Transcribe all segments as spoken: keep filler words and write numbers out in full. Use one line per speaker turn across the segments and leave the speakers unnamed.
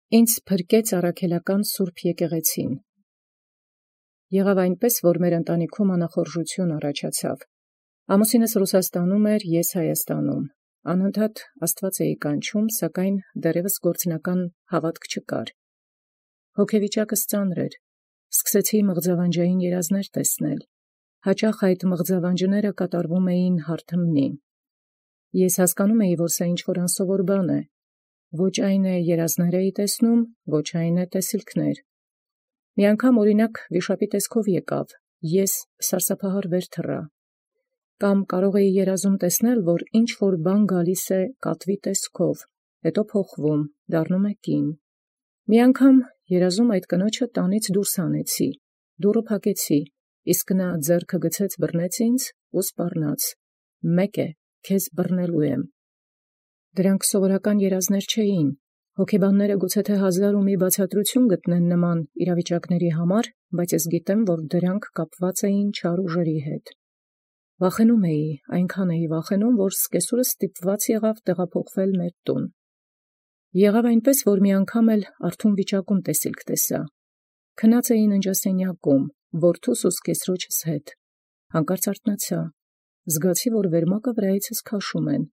Ինձ փրկեց առաքելական սուրբ եկեղեցին։ Եղավ այնպես, որ մեր ընտանիքում անախորժություն առաջացավ։ Ամուսինս Ռուսաստանում էր, ես Հայաստանում։ Անընդհատ Աստված էի կանչում, սակայն դեռևս գործնական հավատք չկար։ Հոգեվիճակս ծանր էր։ Սկսեցի մղձավանջային երազներ տեսնել։ Հաճախ այդ մղձավանջները կատարվում էին հարթմնի։ Ես հասկանում էի, որ սա ինչ-որ անսովոր բան է։ Ոչ այն է երազներ էի տեսնում, ոչ այն է տեսիլքներ։ Մի անգամ օրինակ վիշապի տեսքով եկավ, ես սարսափահար վեր թռա։ Կամ կարող էի երազում տեսնել, որ ինչ-որ բան գալիս է կատվի տեսքով, հետո փոխվում, դառնում է կին։ Մի անգամ երազում այդ կնոջը տանից դուրս հանեցի, դուռը փակեցի, իսկ նա ձեռքը գցեց բռնեց ինձ ու սպառնաց. «Մեկ է, քեզ բռնելու եմ»։ Դրանք սովորական երազներ չէին։ Հոգեբանները գուցե թե հազար ու մի բացատրություն գտնեն նման իրավիճակների համար, բայց ես գիտեմ, որ դրանք կապված էին չար ուժերի հետ։ Վախենում էի, այնքան էի վախենում, որ սկեսուրս ստիպված եղավ տեղափոխվել մեր տուն։ Եղավ այնպես, որ մի անգամ էլ արթուն վիճակում տեսիլք տեսա։ Քնած էի ննջասենյակում, որդուս ու սկեսրոջս հետ։ Հանկարծ արթնացա։ Զգացի, որ վերմակը վրայիցս քաշում են։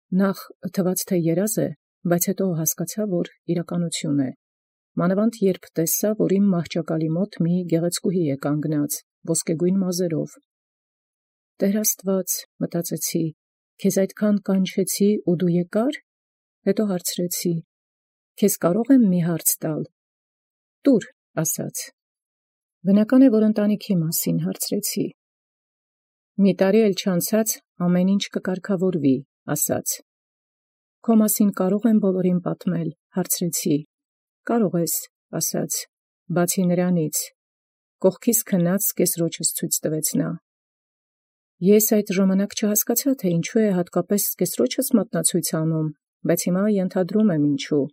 Նախ թվաց, թե երազ է, բայց հետո հասկացա, որ իրականություն է։ Մանավանդ երբ տեսա, որ իմ մահճակալի մոտ մի գեղեցկուհի է կանգնած, ոսկեգույն մազերով։ Տեր Աստված, մտածեցի, քեզ այդքան կանչեցի ու դու եկար։ Հետո հարցրեցի. քեզ կարող եմ մի հարց տալ։ Տուր, ասաց։ Բնական է, որ ընտանիքի մասին հարցրեցի։ Մի տարի էլ չանցած ամեն ինչ կկարգավորվի, ասաց։ Քո մասին կարող եմ բոլորին պատմել, հարցրեցի։ Կարող ես, ասաց, բացի նրանից։ Կողքիս քնած սկեսրոջս ցույց տվեց նա։ Ես այդ ժամանակ չհասկացա, թե ինչու է հատկապես սկեսրոջս մատնացույց անում, բայց հիմա ենթադրում եմ ինչու։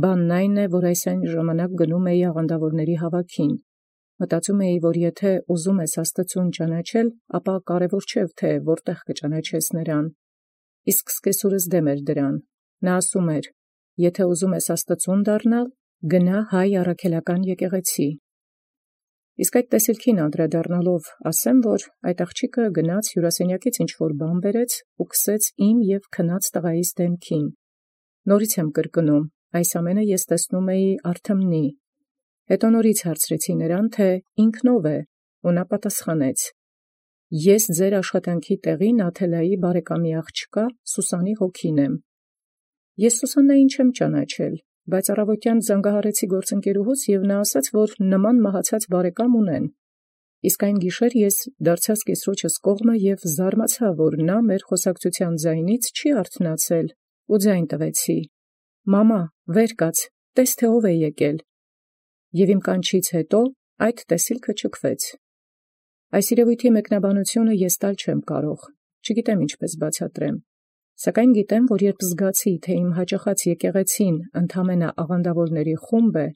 Բանն այն է, որ այս այն ժամանակ գնում էի աղանդավորների հավաքին։ Մտածում էի, որ եթե ուզում ես Աստծուն ճանաչել, ապա կարևոր չէ, թե որտեղ կճանաչես նրան։ Իսկ սկեսուրս դեմ էր դրան։ Նա ասում էր. եթե ուզում ես Աստծուն դառնալ, գնա հայ առաքելական եկեղեցի։ Իսկ այդ տեսիլքին անդրադառնալով ասեմ, որ այդ աղջիկը գնաց հյուրասենյակից ինչ-որ բան բերեց ու քսեց իմ և քնած տղայիս դեմքին։ Նորից եմ կրկնում, այս ամենը ես տեսնում էի արթմնի։ Հետո նորից հարցրեցի նրան, թե ինքն ով է, ու նա պատասխանեց. ես ձեր աշխատանքի տեղի Նաթելայի բարեկամի աղջկա Սուսանի հոգին եմ։ Ես Սուսաննային չեմ ճանաչել, բայց առավոտյան զանգահարեցի գործընկերուհուց և նա ասաց, որ նման մահացած բարեկամ ունեն։ Իսկ այն գիշեր ես դարձա սկեսրոջս կողմը և զարմացա, որ նա մեր խոսակցության ձայնից չի արթնացել ու ձայն տվեցի. «Մամա, վեր կաց, տես թե ով է եկել»։ Եվ իմ կանչից հետո այդ տեսիլքը ճքվեց։ Այս երևույթի մեկնաբանությունը ես տալ չեմ կարող, չգիտեմ ինչպես բացատրեմ, սակայն գիտեմ, որ երբ զգացի, թե իմ հաճախած եկեղեցին ընդամենը աղանդավորների խումբ է,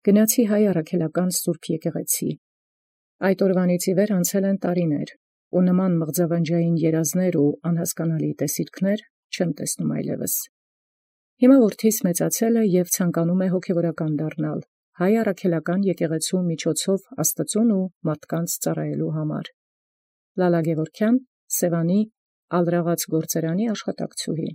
գնացի հայ առաքելական սուրբ եկեղեցի։ Այդ օրվանից ի վեր անցել են տարիներ, ու նման մղձավանջային երազներ ու անհասկանալի տեսիլքներ չեմ տեսնում այլևս։ Հիմա որդիս մեծացել է և ցանկանում է հոգևորական դառնալ, հայ առաքելական եկեղեցու միջոցով Աստծուն ու մարդկանց ծառայելու համար։ Լալա Գևորգյան, Սևանի Ալրաղաց գործարանի աշխատակցուհի։